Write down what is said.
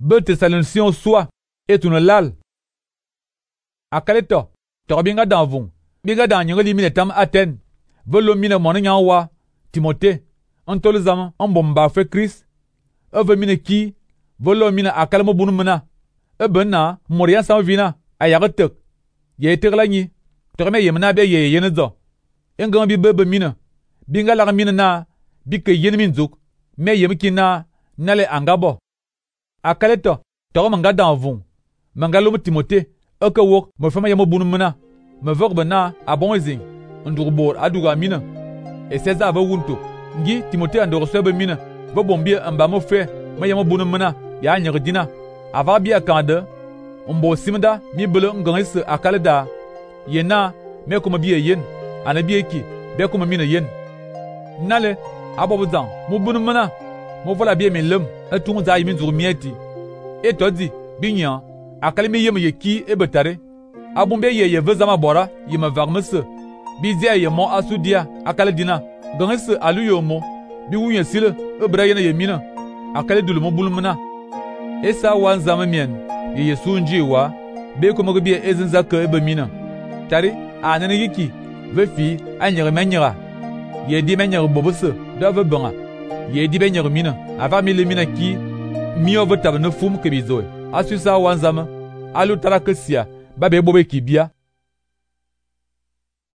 Be Thessaloniciens soit et une lal. Akaleto, Torobinga d'Anvung, Biga d'Anyoli Minetam Athènes, Velo Mine Monignawa, Timothée, Antolzama, Ambomba fait Christ, Eve Mine ki, Velo Mine Akalmo Bunumena, Ebena, Moria Sanvina, Ayaretek, Ye Terlani, Torme Yemna be ye yenezo, Engambi Bebe Mine, Binga la Mine na, Bike Yenminzuk, Me Yemkina, Nale Angabo. Akaleto, Toromanga d'Anvung, Mangalum Timothée, Eke wok, me fama yamo bunumena, me vogbe na abonzing, ndurbor aduga mina. Et César ave wunto, ngi Timothée andoro swebe mina, ve bombie mbamo fe, me yamo bunumena, ya nyerdina. Ava bia kande, mbo simda, mi bele ngangis akaleda. Yena, me kuma bie yen, anabie ki, be kuma mina yen. Nale, abobzang, mu bunumena, mo vola bie min lem, etung za yimin zur mieti. Et todi, binyan. Akalimi yem ye ki e betare. Abumbe ye vezama bora yem varmese. Bizia ye mo asudia akale dina. Gangese alu yo mo. Bi wunye sile e brayene ye mina. Akale dulu mo bulumna. Esa wan zama mien. Ye sunji wa. Be ko mo bi ezinza ke ebe mina. Tari anene yiki. Ve fi anyere menyera. Ye di menyere bobose. Da ve banga. Ye di benyere mina. Ava mi le mina ki. Mi over tab ne fum ke bizoe. Asusa wanzama, alu tarakesia, babe bobe kibia.